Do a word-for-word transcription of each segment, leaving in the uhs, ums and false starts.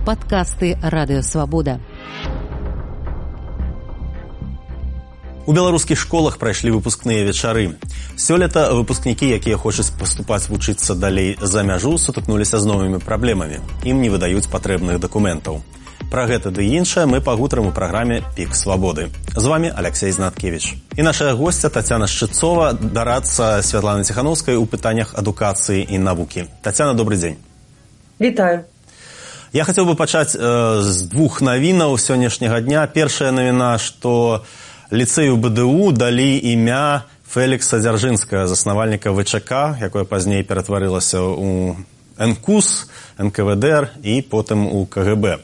Падкасты Радыёвабода. У беларускіх школах прайшлі выпускныя вечары. Сёлета выпускнікі, якія хочуць паступаць вучыцца далей за мяжу, сутыкнуліся з новымі праблемамі. Ім не выдаюць патрэбных дакументаў. Пра гэта ды іншае мы пагутарым у праграме «Пік свабоды». З вами Алексей Знаткевич. І наша гостя Тацяна Шчыцова, дарадца Святланы Ціхановскай у пытаннях адукацыі і навукі. Тацяна, добрый дзень. Вітаю. Я хацеў бы пачаць э, з двух навінаў сённяшняга дня. Першая навіна, што ліцэю БДУ далі імя Фелікса Дзяржынскага, заснавальніка ВЧК, якое пазней ператварылася ў НКУС, НКВДР і потым у КГБ.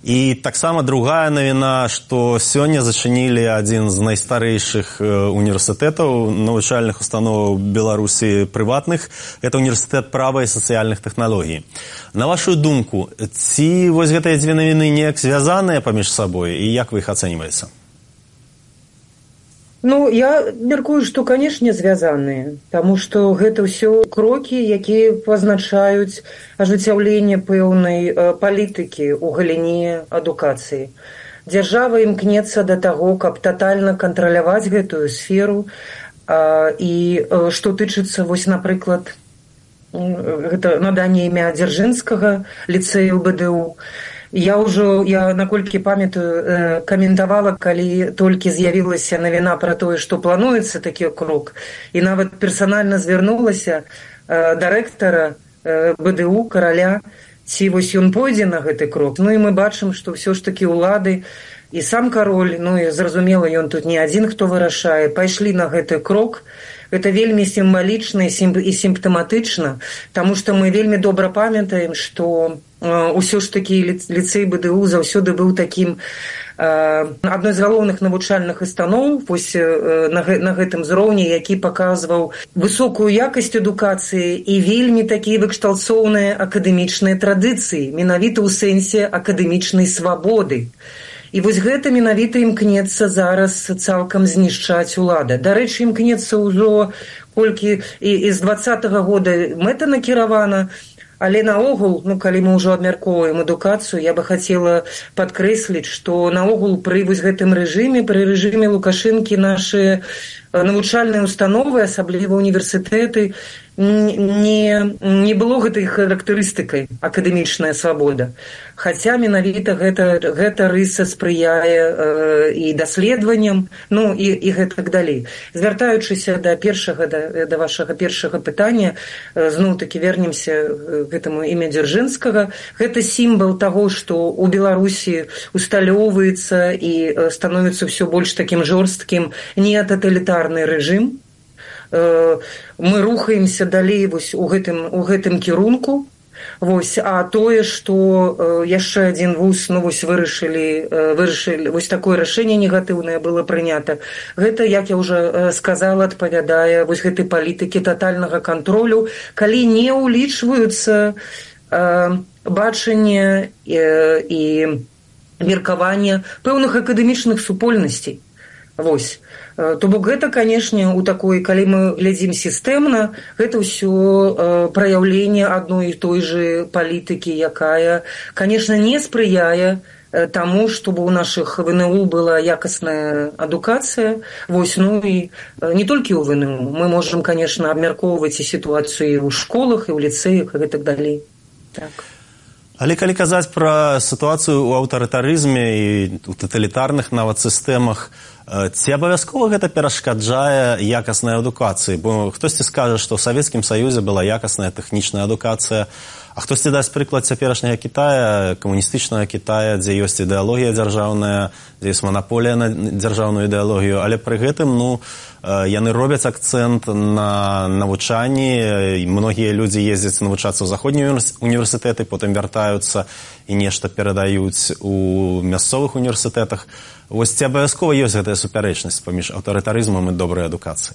І таксама другая навіна, што сёння зачынілі адзін з найстарэйшых універсітэтаў, навучальных установаў Беларусі прыватных. Гэта універсітэт права і сацыяльных тэхналогій. На вашу думку, ці вось гэтыя дзве навіны неяк звязаныя паміж сабой і як вы іх ацэньваеце? Ну, я меркую, што, канешне, звязаныя, таму што гэта ўсё крокі, якія пазначаюць ажыццяўленне пэўнай э, палітыкі ў галіне адукацыі. Дзяржава імкнецца да таго, каб татальна кантраляваць гэтую сферу, э, і э, што тычыцца, вось, напрыклад, гэта наданне імя Дзяржынскага ліцэю БДУ. Я ўжо, я наколькі памятаю, каментавала, калі толькі з'явілася навіна пра тое, што плануецца такі крок, і нават персанальна звярнулася да рэктара БДУ, караля, ці вось ён пойдзе на гэты крок. Ну і мы бачым, што ўсё ж такі ўлады і сам кароль, ну і зразумела, ён тут не адзін, хто вырашае, пайшлі на гэты крок. Гэта вельмі сімвалічна і сімптаматычна, таму што мы вельмі добра памятаем, што ўсё ж такі ліцэй БДУ заўсёды быў такім адной з галоўных навучальных устаноў вось на гэтым зроўні, які паказваў высокую якасць адукацыі і вельмі такія выкшталцоўныя акадэмічныя традыцыі, менавіта ў сэнсе акадэмічнай свабоды. І вось гэта менавіта імкнецца зараз цалкам знішчаць улада. Дарэчы, імкнецца ўжо колькі і, і з дваццатага года мэта накіравана, але наогул, ну, калі мы ўжо абмяркоўваем адукацыю, я бы хацела падкрэсліць, што наогул пры вось гэтым рэжыме, пры рэжыме Лукашэнкі нашы навучальныя установы, асабліва універсітэты, не, не было гэтай характарыстыкай акадэмічная свабода. Хаця менавіта гэта, гэта рыса спрыяе э, і даследаванням, ну і, і гэтак далей. Звяртаючыся да першага, да, да вашага першага пытання, э, зноў-такі вернемся к гэтаму імя Дзяржынскага. Гэта сімвал таго, што ў Беларусі усталёўваецца і э, становіцца ўсё больш такім жорсткім нетаталітарны рэжым. Мы рухаемся далей вось у гэтым, у гэтым кірунку. Вось, а тое, што яшчэ адзін вуз, ну, вось вырашылі, вырашылі, вось такое рашэнне негатыўнае было прынята. Гэта, як я ўжо сказала, адпавядае вось гэтай палітыкі татальнага кантролю, калі не ўлічваюцца э, бачанне э, і меркаванне пэўных акадэмічных супольнасцей. Вось. То бок гэта, канешне, у такой, калі мы глядзім сістэмна, гэта ўсё э, праяўленне адной і той жа палітыкі, якая, канешне, не спрыяе э, таму, чтобы у нашых ВНУ была якасная адукацыя. Вось, ну і э, не толькі ў ВНУ. Мы можам, канешне, абмяркоўваць і сітуацыю ў школах, і ў ліцэях, і гэтак далей. Так. Але калі казаць пра сітуацыю ў аўтарытарызме і ў таталітарных нават сістэмах, ці абавязкова гэта перашкаджае якаснай адукацыі? Бо хтосьці скажа, што ў Савецкім Саюзе была якасная тэхнічная адукацыя, а хтосьці дасць прыклад цяперашняга Кітая, камуністычнага Кітая, дзе ёсць ідэалогія дзяржаўная, дзе ёсць манаполія на дзяржаўную ідэалогію, але пры гэтым, ну, яны робяць акцэнт на навучанні, і многія людзі ездзяць навучацца ў заходнія універсітэты, потым вяртаюцца і нешта перадаюць у мясцовых універсітэтах. Вось ці абавязкова ёсць гэтая супярэчнасць паміж аўтарытарызмам і добрай адукацыяй?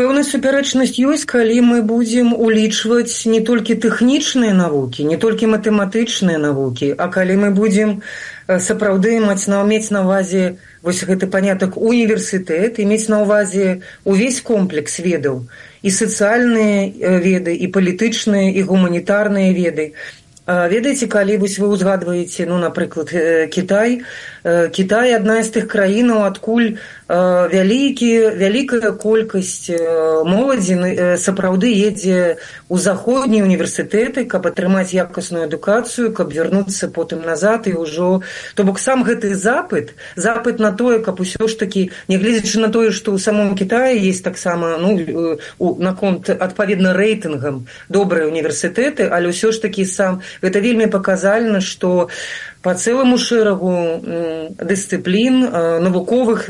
Пэўная супярэчнасць ёсць, калі мы будзем улічваць не толькі тэхнічныя навукі, не толькі матэматычныя навукі, а калі мы будзем сапраўды маць на, мець на ўвазе вось гэты панятак універсітэт і мець на ўвазе увесь комплекс ведаў, і сацыяльныя веды, і палітычныя, і гуманітарныя веды. Ведаеце, калі вось вы ўзгадваеце, ну, напрыклад, Кітай, Кітай адна з тых краінаў, адкуль вялікі, вялікая колькасць моладзі сапраўды едзе ў заходнія універсітэты, каб атрымаць якасную адукацыю, каб вярнуцца потым назад і ўжо... То бок сам гэты запыт, запыт на тое, каб усё ж такі, нягледзячы на тое, што ў самом Кітаі есть таксама, ну, наконт адпаведна рэйтынгам добрыя універсітэты, але ўсё ж такі сам... Гэта вельмі паказальна, што па цэламу шэрагу дысцыплін, навуковых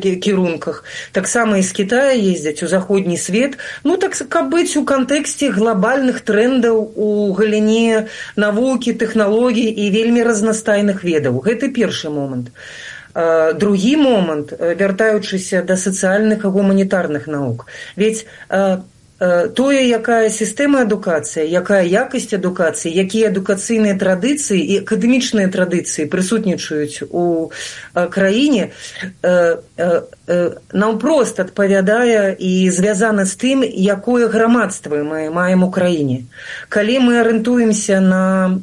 кірунках, таксама і з Кітая ездзяць у заходні свет, ну, так, каб быць у кантэксце глобальных трэндаў у галіне навукі, тэхналогій і вельмі разнастайных ведаў. Гэта першы момант. Другі момант, вяртаючыся да сацыяльных і гуманітарных навук. Ведь тое, якая сістэма адукацыі, якая якасць адукацыі, якія адукацыйныя традыцыі і акадэмічныя традыцыі прысутнічаюць у краіне, наўпрост адпавядае і звязана з тым, якое грамадства мы маем у краіне. Калі мы арыентуемся на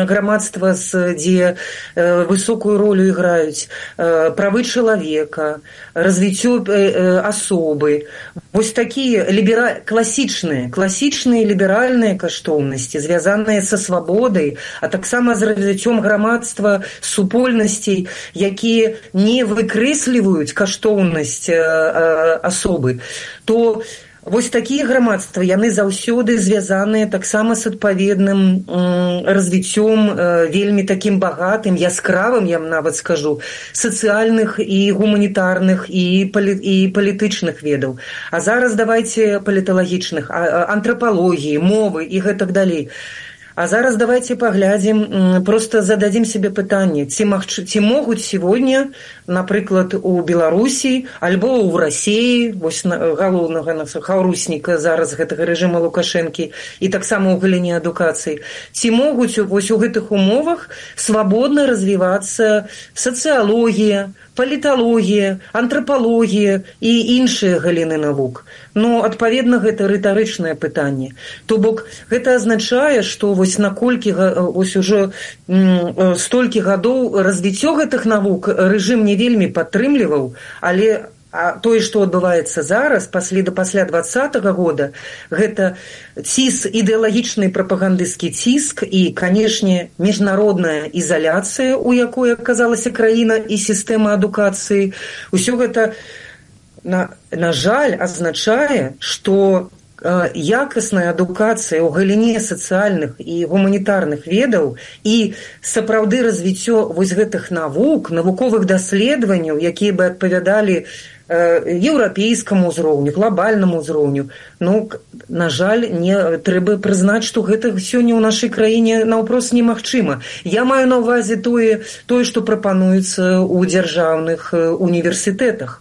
грамадства, дзе высокую ролю іграюць правы чалавека, развіццё асобы, вось такія лібера... класічныя, класічныя ліберальныя каштоўнасці, звязаныя са свабодай, а таксама з развіццём грамадства, супольнасцей, якія не выкрэсліваюць каштоўнасць асобы, то вось такія грамадства, яны заўсёды звязаныя таксама з адпаведным развіццём вельмі такім багатым, яскравым, я нават скажу, сацыяльных і гуманітарных і, палі, і палітычных ведаў. А зараз давайце паліталагічных, антрапалогіі, мовы і гэтак далей. А зараз давайте паглядзім, просто зададзім себе пытанне, ці, магчы, ці могуць сегодня, напрыклад, у Беларусі альбо ў Расіі, вось галоўнага хаўрусніка зараз гэтага рэжыма Лукашэнкі і таксама ў галіне адукацыі, ці могуць вось у гэтых умовах свабодна развівацца сацыялогія, паліталогія, антрапалогія і іншыя галіны навук. Ну, адпаведна, гэта рытарычнае пытанне. То бок, гэта азначае, што вось наколькі, вось ужо столькі гадоў развіццё гэтых навук рэжым не вельмі падтрымліваў, але а тое, што адбываецца зараз, пасля, пасля двадцатага года, гэта ціск, ідэалагічны прапагандысцкі ціск і, канешне, міжнародная ізаляцыя, у якой аказалася краіна і сістэма адукацыі. Усё гэта, на, на жаль, азначае, што якасная адукацыя ў галіне сацыяльных і гуманітарных ведаў і сапраўды развіццё вось гэтых навук, навуковых даследаванняў, якія бы адпавядалі еўрапейскаму ўзроўню, глобальнаму ўзроўню. Ну, на жаль, не трэба прызнаць, што гэта сёння ў нашай краіне наўпрост немагчыма. Я маю на ўвазе тое, тое, што прапануецца ў дзяржаўных універсітэтах.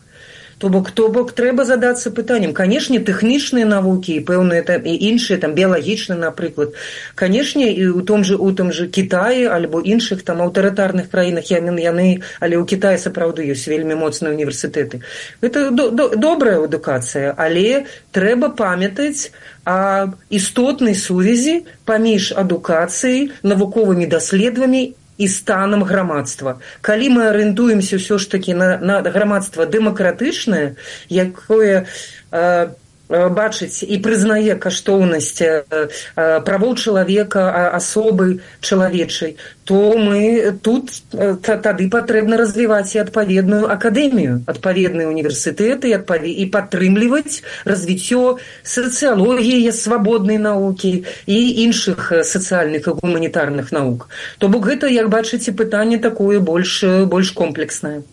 То бок, то бок трэба задацца пытаннем. Канешне, тэхнічныя навукі і пэўныя там і іншыя, там біялагічныя, напрыклад. Канешне, і ў том же, у том же Кітаі альбо іншых там аўтарытарных краінах яны, але ў Кітаі сапраўды ёсць вельмі моцныя універсітэты. Гэта до, до, добрая адукацыя, але трэба памятаць о істотнай сувязі паміж адукацыяй, навуковымі даследаваннямі і станам грамадства. Калі мы арыентуемся ўсё ж такі на, на грамадства дэмакратычнае, якое э, бачыць і прызнае каштоўнасць э, правоў чалавека, асобы чалавечай, то мы тут э, тады патрэбна развіваць і адпаведную акадэмію, адпаведныя універсітэты і падтрымліваць развіццё сацыялогіі, свабоднай навукі і іншых сацыяльных і гуманітарных навук. То бок гэта, як бачыце, пытанне такое больш, больш комплекснае.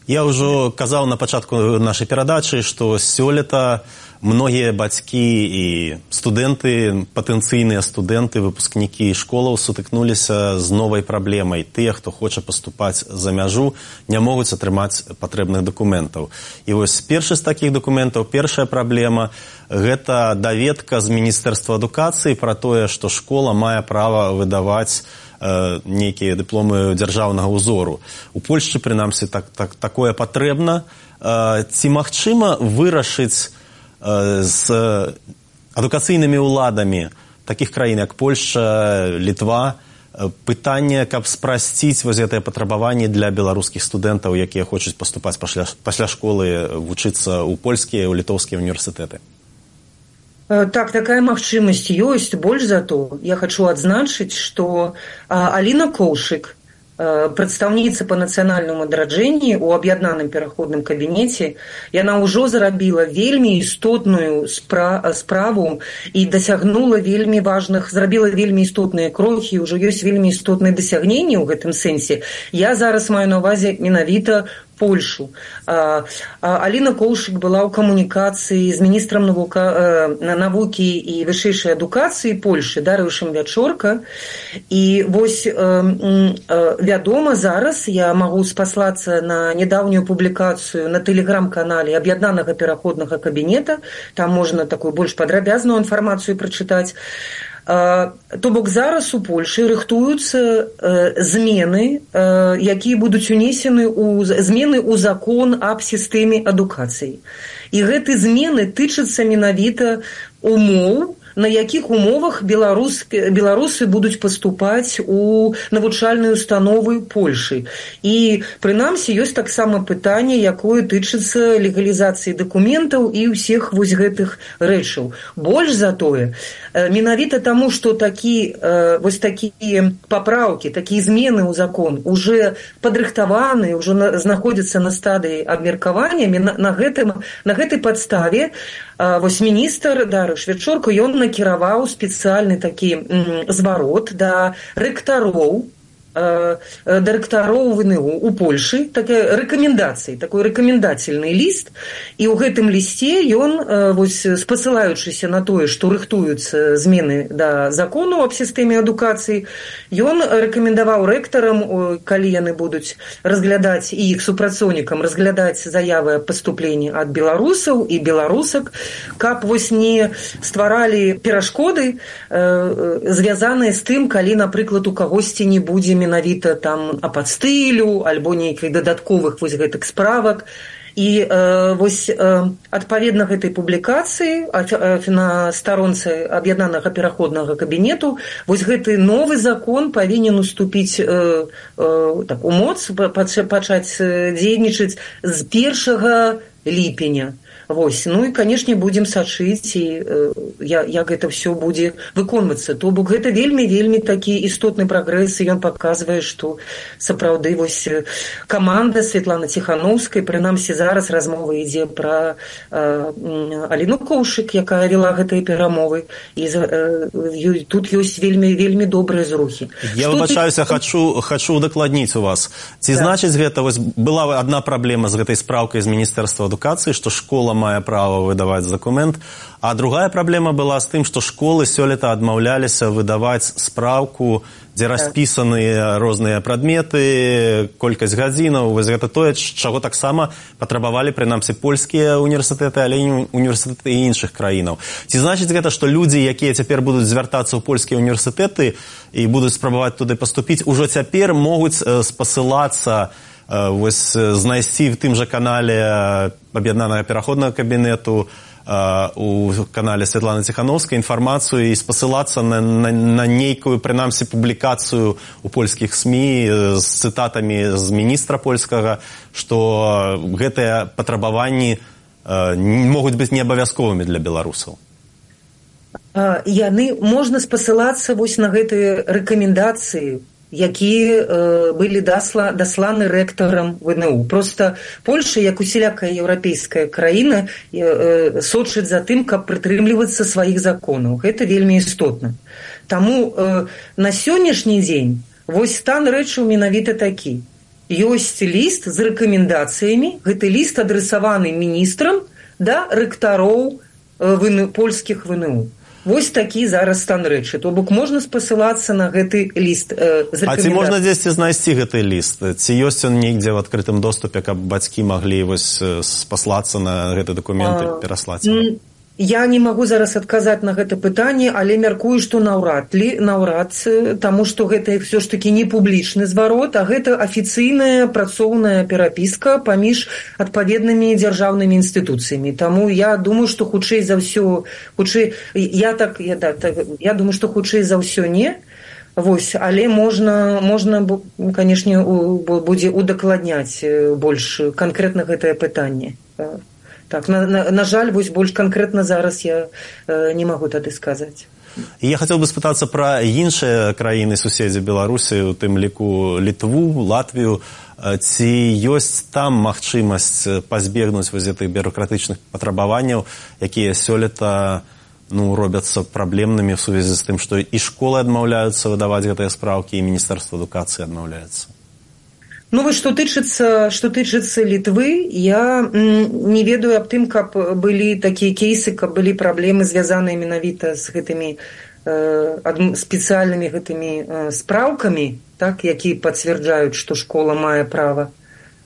Я ўжо казаў на пачатку нашай перадачы, што сёлета многія бацькі і студэнты, патэнцыйныя студэнты, выпускнікі школаў сутыкнуліся з новай праблемай. Тыя, хто хоча паступаць за мяжу, не могуць атрымаць патрэбных дакументаў. І вось першы з такіх дакументаў, першая праблема – гэта даведка з Міністэрства адукацыі пра тое, што школа мае права выдаваць нейкія дыпломы дзяржаўнага ўзору. У Польшчы, прынамсі, так, так, такое патрэбна. Ці магчыма вырашыць з адукацыйнымі ўладамі такіх краін, як Польша, Літва, пытанне, каб спрасціць вось гэтыя патрабаванні для беларускіх студэнтаў, якія хочуць паступаць пасля, пасля школы, вучыцца ў польскія, ў літоўскія універсітэты? Так, такая магчымасць ёсць. Больш за то, я хочу адзначыць, што Аліна Коўшык, прадстаўніца па нацыянальнаму адраджэнні ў аб'яднаным пераходным кабінеце, яна ўжо зарабіла вельмі істотную спра- справу і дасягнула вельмі важных, зрабіла вельмі істотныя крокі, ўжо ёсць вельмі істотныя дасягненні ў гэтым сэнсе. Я зараз маю на ўвазе менавіта Польшу. А, а, Аліна Коўшык была ў камунікацыі з міністрам навука, э, навукі і вышэйшай адукацыі Польшы Дарыюшам Вячорка. І вось э, э, вядома, зараз я магу спаслацца на нядаўнюю публікацыю на тэлеграм-канале аб'яднанага пераходнага кабінета. Там можна такую больш падрабязную інфармацыю прачытаць. То бок зараз у Польшы рыхтуюцца э, змены, э, якія будуць унесены ў змены ў закон аб сістэме адукацыі. І гэты змены тычацца менавіта умоў, на якіх умовах беларус, беларусы будуць паступаць у навучальныя установы Польшы. І, прынамсі, ёсць таксама пытанне, якое тычыцца легалізацыі дакументаў і ўсіх вось гэтых рэчаў. Больш за тое, менавіта таму, што такі, вось такія папраўкі, такія змены ў закон уже падрыхтаваны, уже знаходзяцца на стадыі абмеркавання, на, на, гэтым, на гэтай падставе вось міністр Дарыюш Вячорка, ён накіраваў спецыяльны такі зварот да рэктароў, дырэктароў ВНУ у Польшы, такая рэкамендацыі, такой рэкамендацыйны ліст, і ў гэтым лісце ён, вось, спасылаючыся на тое, што рыхтуюцца змены да закону аб сістэме адукацыі, ён рэкамендаваў рэктарам, калі яны будуць разглядаць, і іх супрацоўнікам разглядаць заявы аб паступленні ад беларусаў і беларусак, каб вось не стваралі перашкоды, звязаныя з тым, калі, напрыклад, у кагосьці не будзе менавіта там ападстылю альбо нейкіх дадатковых вось гэтых справак. І э, вось э, адпаведна гэтай публікацыі э, на старонцы аб'яднанага пераходнага кабінету вось гэты новы закон павінен уступіць э, э, так, у моц, пачаць дзейнічаць з першага ліпеня. Вось. Ну і, канешне, будзем сачыць, і э, як гэта ўсё будзе выконвацца. То бок гэта вельмі-вельмі такі істотны прагрэс, і ён паказвае, што сапраўды вось каманда Святланы Ціханаўскай, прынамсі зараз размова ідзе пра э, Аліну Коўшык, якая вела гэтыя перамовы, і э, тут ёсць вельмі-вельмі добрыя зрухі. Я выбачаюся, ты... хочу, хочу удакладніць у вас. Ці так. Значыць гэта, вось была адна праблема з гэтай спраўкай з Міністэрства адукацыі, што школа мае права выдаваць дакумент, а другая праблема была з тым, што школы сёлета адмаўляліся выдаваць спраўку, дзе распісаныя розныя прадметы, колькасць гадзінаў, вось гэта тое, чаго таксама патрабавалі, прынамсі, польскія універсітэты, але і універсітэты іншых краінаў. Ці значыць гэта, што людзі, якія цяпер будуць звяртацца ў польскія універсітэты і будуць спрабаваць туды паступіць, ужо цяпер могуць спасылацца, вось знайсці в тым жа канале аб'яднанага пераходнага кабінету, у канале Святланы Ціханаўскай інфармацыю і спасылацца на, на, на нейкую, прынамсі, публікацыю ў польскіх СМІ з цытатамі з міністра польскага, што гэтыя патрабаванні могуць быць неабавязковымі для беларусаў. Яны можна спасылацца вось на гэтыя рэкамендацыі, якія э, былі дасла, дасланы рэктарам ВНУ. Проста Польша, як усялякая еўрапейская краіна, э, э, сочыць за тым, каб прытрымлівацца сваіх законаў. Гэта вельмі істотна. Таму э, на сённяшні дзень вось стан рэчаў менавіта такі. Ёсць ліст з рэкамендацыямі, гэты ліст адрасаваны міністрам да рэктароў э, ВНУ, польскіх ВНУ. Вось такі зараз стан рэчы. То бок можна спасылацца на гэты ліст э, з рэкамендацыямі. А ці можна дзесьці знайсці гэты ліст? Ці ёсць ён нейдзе в адкрытым доступе, каб бацькі маглі вось спаслацца на гэты дакумент і пераслаць? Я не магу зараз адказаць на гэта пытанне, але мяркую, што наўрад ли, наўрад, таму што гэта ўсё ж такі не публічны зварот, а гэта афіцыйная працоўная перапіска паміж адпаведнымі дзяржаўнымі інстытуцыямі. Таму я думаю, што хутчэй за ўсё, хутчэй, я так, я, так, я думаю, што хутчэй за ўсё не. Вось, але можна, можна, канешне, будзе удакладняць больш канкрэтна гэтае пытанне. Так, на, на, на жаль, вось больш канкрэтна зараз я э, не магу тады сказаць. І я хацеў бы спытацца пра іншыя краіны суседзі Беларусі, у тым ліку Літву, Латвію. Ці ёсць там магчымасць пазбегнуць вось гэтых бюракратычных патрабаванняў, якія сёлета ну, робяцца праблемнымі в сувязі з тым, што і школы адмаўляюцца выдаваць гэтыя спраўкі, і Міністэрства адукацыі адмаўляецца? Ну, вось, што тычыцца, што тычыцца Літвы, я не ведаю аб тым, каб былі такія кейсы, каб былі праблемы, звязаныя менавіта з гэтымі э, спецыяльнымі гэтымі э, спраўкамі, так, якія пацвярджаюць, што школа мае права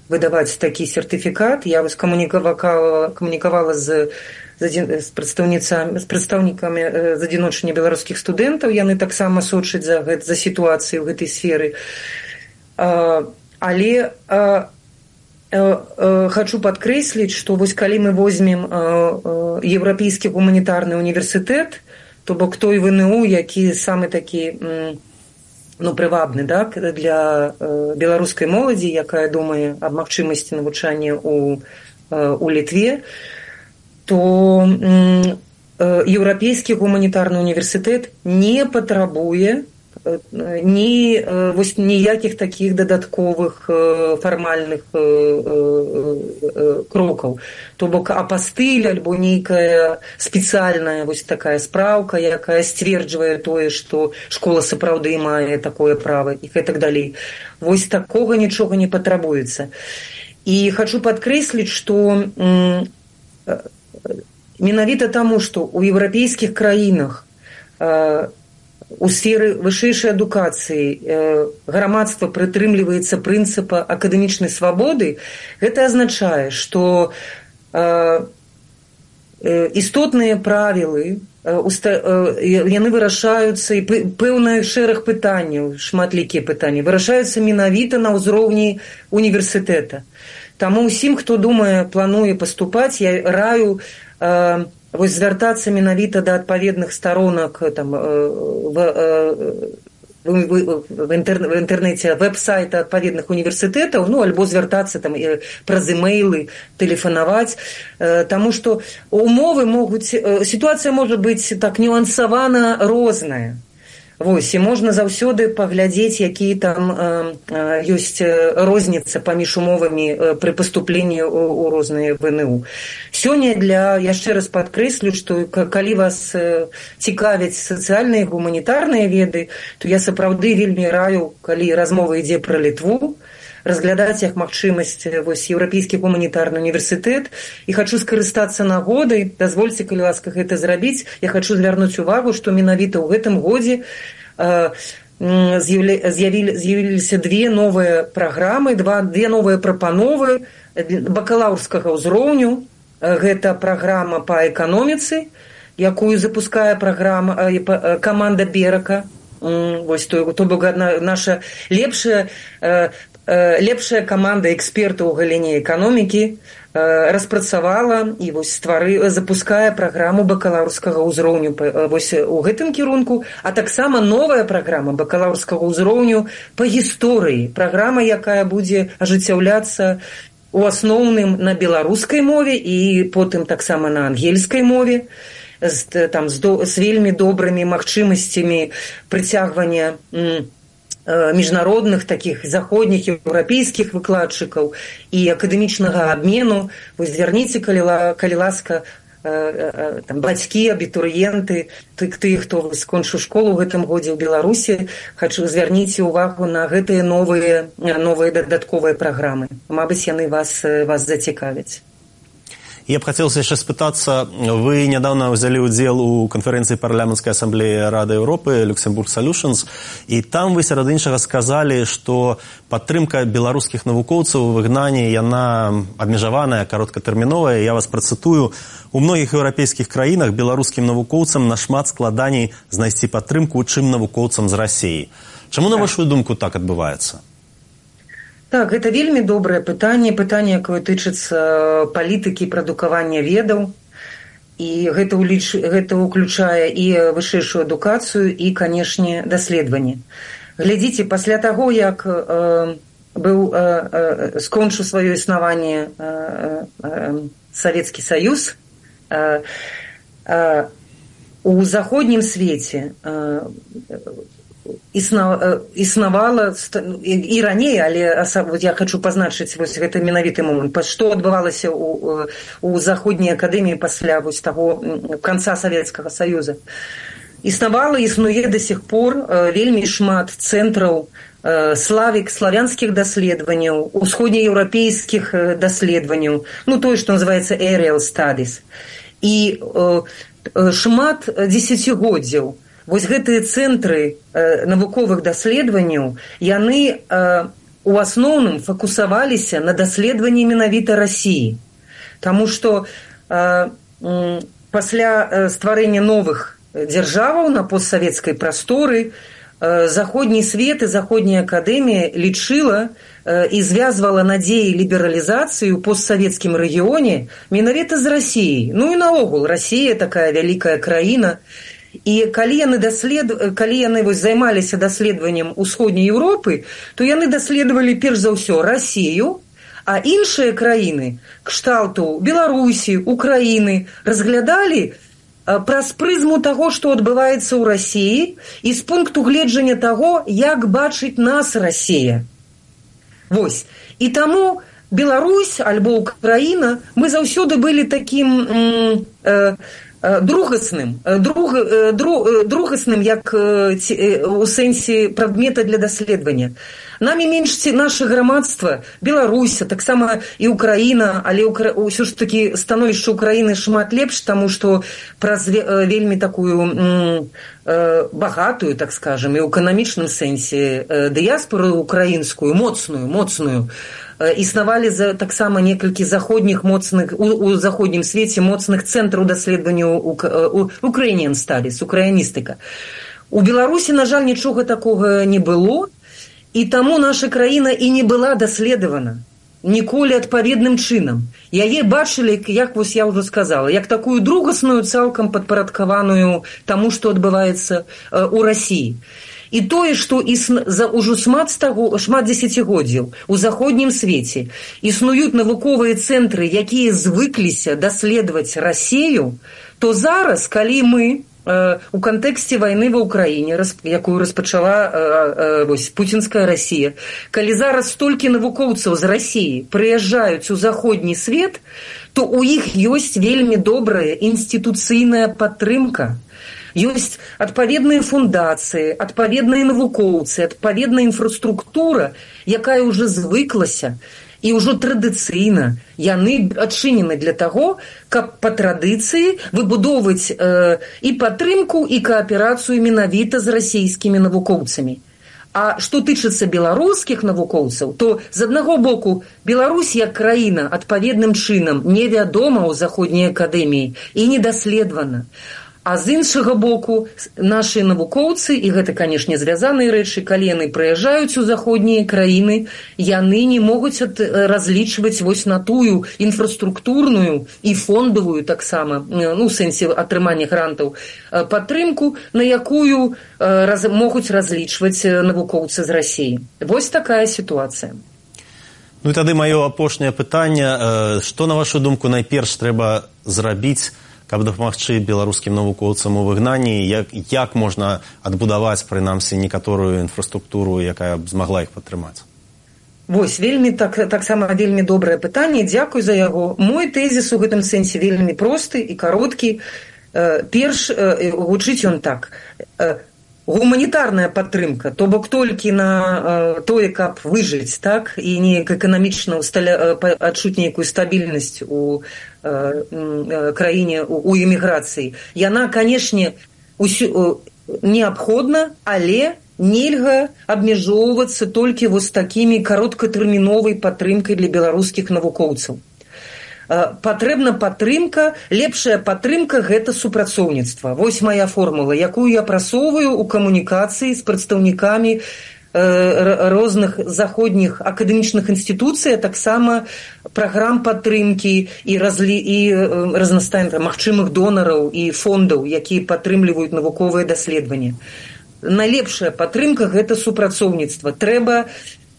выдаваць такі сертыфікат. Я вось камунікавала, камунікавала з, з, прадстаўніцамі, з прадстаўнікамі э, з адзіночання беларускіх студэнтаў, яны таксама сочаць за, за сітуацыю ў гэтай сферы. Э, Але э, э, э, хочу падкрэсліць, што вось калі мы возьмем э, э, Еўрапейскі гуманітарны універсітэт, то бок той вэ эн у, які самы такі э, ну, прывабны, так, для э, беларускай моладзі, якая думае аб магчымасці навучання ў, э, ў Літве, то э, Еўрапейскі гуманітарны універсітэт не патрабуе ні вось ніякіх такіх дадатковых фармальных крокаў. То бок апастыль альбо нейкая спецыяльная вось такая спраўка, якая сцверджвае тое, што школа сапраўды мае такое права і гэтак далей. Вось такога нічога не патрабуецца. І хачу падкрэсліць, што менавіта таму, што ў еўрапейскіх краінах у сферы вышэйшай адукацыі э, грамадства прытрымліваецца прынцыпа акадэмічнай свабоды, гэта азначае, што э, істотныя правілы, э, уста, э, яны вырашаюцца, і пэўны шэраг пытанняў, шматлікія пытанні, вырашаюцца менавіта на ўзроўні універсітэта. Таму ўсім, хто думае, плануе паступаць, я раю э, вось звяртацца менавіта да адпаведных старонак там, в, в, в, інтэр, в інтэрнэце вэб-сайта адпаведных універсітэтаў, ну, альбо звяртацца там, праз имейлы, тэлефанаваць, таму што умовы могуць, сітуацыя можа быць так нюансавана розная. Вось, і можна заўсёды паглядзець, якія там э, э, ёсць розніца паміж умовамі э, пры паступленні ў, ў розныя вэ эн у. Сёння для, яшчэ раз падкрэслю, што калі вас э, цікавяць сацыяльныя і гуманітарныя веды, то я сапраўды вельмі раю, калі размова ідзе пра Літву, разглядаць як магчымасць вось еўрапейскі гуманітарны універсітэт, і хачу скарыстацца нагодай, дазвольце, калі ласка, гэта зрабіць. Я хачу звярнуць увагу, што менавіта ў гэтым годзе э, з'явіліся две новыя праграмы, два, две новыя прапановы бакалаўрскага ўзроўню. Гэта праграма па эканоміцы, якую запускае праграма э, каманда Берака. Вось то, то бок наша лепшая э, лепшая каманда экспертаў у галіне эканомікі распрацавала і вось ствары, запускае праграму бакалаўрскага ўзроўню вось у гэтым кірунку, а таксама новая праграма бакалаўрскага ўзроўню па гісторыі, праграма, якая будзе ажыццяўляцца у асноўным на беларускай мове і потым таксама на ангельскай мове, з, там, з, до, з вельмі добрымі магчымасцямі прыцягвання міжнародных такіх заходніх еўрапейскіх выкладчыкаў і акадэмічнага абмену. Вось звярніце, калі, калі ласка, там, бацькі, абітурыенты, тыя, хто скончыў школу ў гэтым годзе ў Беларусі, хачу звярніце ўвагу на гэтыя новыя, новыя дадатковыя праграмы. Мабыць, яны вас, вас зацікавяць. Я б хацелася яшчэ спытацца, вы нядаўна ўзялі ўдзел у канферэнцыі парламенцкай асамблеі Рады Еўропы Luxembourg Solutions, і там вы сярод іншага сказалі, што падтрымка беларускіх навукоўцаў у выгнанні яна абмежаваная, кароткатэрміновая. Я вас працытую: у многіх еўрапейскіх краінах беларускім навукоўцам нашмат складаней знайсці падтрымку, чым навукоўцам з Расіі. Чаму, на вашу думку, так адбываецца? Так, гэта вельмі добрае пытанне, пытанне, якое тычыцца палітыкі прадукавання ведаў, і гэта, ўліч... гэта ўключае і вышэйшую адукацыю, і, канешне, даследаванне. Глядзіце, пасля таго, як э, быў э, э, скончыў сваё існаванне э, э, Савецкі Саюз, э, э, у заходнім свеце э, існавала і раней, але я хочу пазначыць вось гэты менавіты момант, што адбывалася у, у заходняй акадэміі пасля вось таго канца Савецкага Саюза. Існавала, існуе да сих пор вельмі шмат цэнтраў славік, славянскіх даследаванняў, усходнееўрапейскіх даследаванняў, ну тое, што называецца aerial studies. І шмат дзесяцігоддзяў вось гэтыя цэнтры э, навуковых даследаванняў, яны э, у асноўным фокусаваліся на даследаванні менавіта Расіі. Таму што э, э, пасля э, стварэння новых дзяржаваў на постсавецкай прасторы э, заходні свет і заходняя акадэмія лічыла э, і звязвала надзеі лібералізацыі ў постсавецкім рэгіёне менавіта з Расіяй. Ну і наогул, Расія такая вялікая краіна. І калі яны, даслед... калі яны вось займаліся даследаваннем усходняй Еўропы, то яны даследавалі перш за ўсё Расію, а іншыя краіны, кшталту Беларусі, Украіны, разглядалі праз прызму таго, што адбываецца ў Расіі, і з пункту гледжання таго, як бачыць нас Расія. Вось. І таму Беларусь альбо Украіна, мы заўсёды былі такім... Э, другасным, друг, друг, другасным як у сэнсе прадмета для даследавання. Намі менш наше грамадства, Беларусь, таксама і Украіна, але ўсё ж такі становішча Украіны шмат лепш, таму што праз вельмі такую багатую, так скажем, і ў эканамічным сэнсе дыяспору украінскую, моцную, моцную, існавалі за таксама некалькі заходніх моцных у, у заходнім свеце моцных цэнтраў даследавання Ukrainian Studies, украіністыка. У Беларусі, на жаль, нічога такога не было, і таму наша краіна і не была даследавана ніколі адпаведным чынам. Яе бачылі, як вось я ўжо сказала, як такую другасную, цалкам падпарадкаваную таму, што адбываецца у Расіі. І тое, што існа... за ўжо шмат, стаго... шмат дзесяцігоддзяў у заходнім свеце існуюць навуковыя цэнтры, якія звыкліся даследаваць Расію, то зараз, калі мы э, у кантэксце вайны ва Ўкраіне, якую распачала э, э, вось, пуцінская Расія, калі зараз столькі навукоўцаў з Расіі прыязджаюць у заходні свет, то ў іх ёсць вельмі добрая інстытуцыйная падтрымка. Ёсць адпаведныя фундацыі, адпаведныя навукоўцы, адпаведная інфраструктура, якая ўжо звыклася, і ўжо традыцыйна яны адчынены для таго, каб па традыцыі выбудоўваць э, і падтрымку, і кааперацыю менавіта з расійскімі навукоўцамі. А што тычыцца беларускіх навукоўцаў, то з аднаго боку Беларусь як краіна адпаведным чынам невядома ў заходняй акадэміі і недаследавана. А з іншага боку, нашы навукоўцы, і гэта, канешне, звязаныя рэчы, калі яны прыязджаюць у заходнія краіны, яны не могуць разлічваць вось на тую інфраструктурную і фондавую таксама, ну, у сэнсе атрымання грантаў, падтрымку, на якую раз, могуць разлічваць навукоўцы з Расіі. Вось такая сітуацыя. Ну і тады маё апошняе пытанне. Што, на вашу думку, найперш трэба зрабіць, каб дапамагчы беларускім навукоўцам у выгнанні, як, як можна адбудаваць, прынамсі, некаторую інфраструктуру, якая б змагла іх падтрымаць? Вось, вельмі так, таксама вельмі добрае пытанне, дзякуй за яго. Мой тэзіс у гэтым сэнсе вельмі просты і кароткі. Перш, гучыць ён так. гуманітарная падтрымка, то бок толькі на э, тое, каб выжыць, так, і неяк эканамічна усталя... адчуць нейкую стабільнасць у э, э, краіне, у, у эміграцыі. Яна, канешне, усю, э, неабходна, але нельга абмяжоўвацца толькі вось такімі кароткатэрміновай падтрымкай для беларускіх навукоўцаў. Патрэбна падтрымка, лепшая падтрымка – гэта супрацоўніцтва. Вось моя формула, якую я прасоўваю ў камунікацыі з прадстаўнікамі розных заходніх акадэмічных інстытуцый, а таксама праграм падтрымкі і, разлі... і разнастайных магчымых донараў і фондаў, якія падтрымліваюць навуковыя даследаванні. Найлепшая падтрымка – гэта супрацоўніцтва. Трэба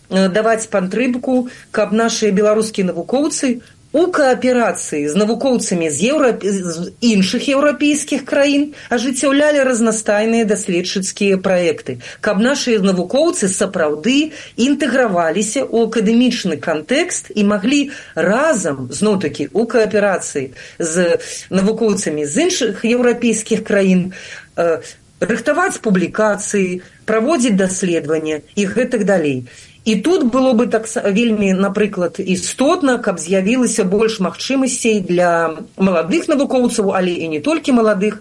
даваць падтрымку, каб нашыя беларускія навукоўцы у кааперацыі з навукоўцамі з, еўра... з іншых еўрапейскіх краін ажыццяўлялі разнастайныя даследчыцкія праекты, каб нашыя навукоўцы сапраўды інтэграваліся ў акадэмічны кантэкст і маглі разам, зноў-такі, у кааперацыі з навукоўцамі з іншых еўрапейскіх краін э, рыхтаваць публікацыі, праводзіць даследавання і гэтак далей. І тут было бы так вельмі, напрыклад, істотна, каб з'явілася больш магчымасцей для маладых навукоўцаў, але і не толькі маладых,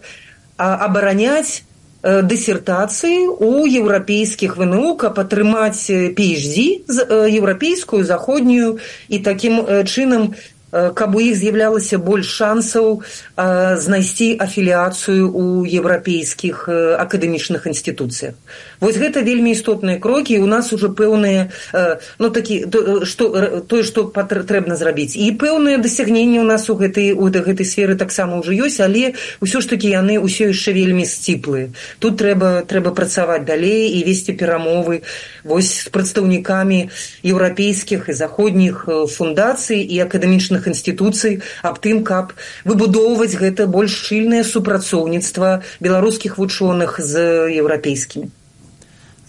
а абараняць э, дысертацыі ў еўрапейскіх вэ эн у, каб атрымаць пі эйч ді, э, еўрапейскую, заходнюю, і такім э, чынам каб у іх з'яўлялася больш шансаў э, знайсці афіліяцыю ў еўрапейскіх э, акадэмічных інстытуцыях. Вось гэта вельмі істотныя крокі, і у нас ужо пэўныя, э, ну такі, то, што, тое, што патрэбна зрабіць. І пэўныя дасягненні у нас у гэтай, у гэтай сферы таксама ўжо ёсць, але ўсё ж такі яны ўсё яшчэ вельмі сціплыя. Тут трэба, трэба працаваць далей і весці перамовы вось з прадстаўнікамі еўрапейскіх і заходніх фундацый і акадэмічных інстытуцый аб тым, каб выбудоўваць гэта больш шчыльнае супрацоўніцтва беларускіх вучоных з еўрапейскімі.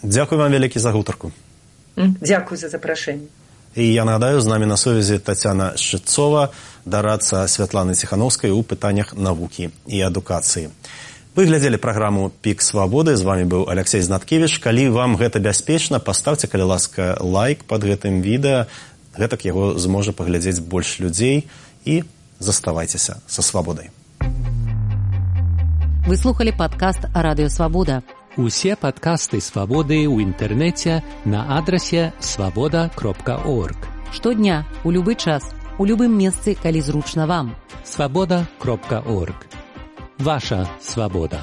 Дзякуй вам вялікі за гутарку. Дзякуй за запрашэнне. І я нагадаю, з намі на сувязі Тацяна Шчыцова, дарадца Святланы Ціхановскай у пытаннях навукі і адукацыі. Вы глядзелі праграму «Пік свабоды», з вами быў Алексей Знаткевіч. Калі вам гэта бяспечна, паставце, калі ласка, лайк пад гэтым відэа, гэтак яго зможа паглядзець больш людзей, і заставайцеся са свабодай. Вы слухали падкаст «Радыё Свабода». Усе падкасты «Свабоды» ў інтэрнэце на адрасе свабода кропка орг. Штодня, у любы час, у любым месцы, калі зручна вам. свабода кропка орг. Ваша свабода.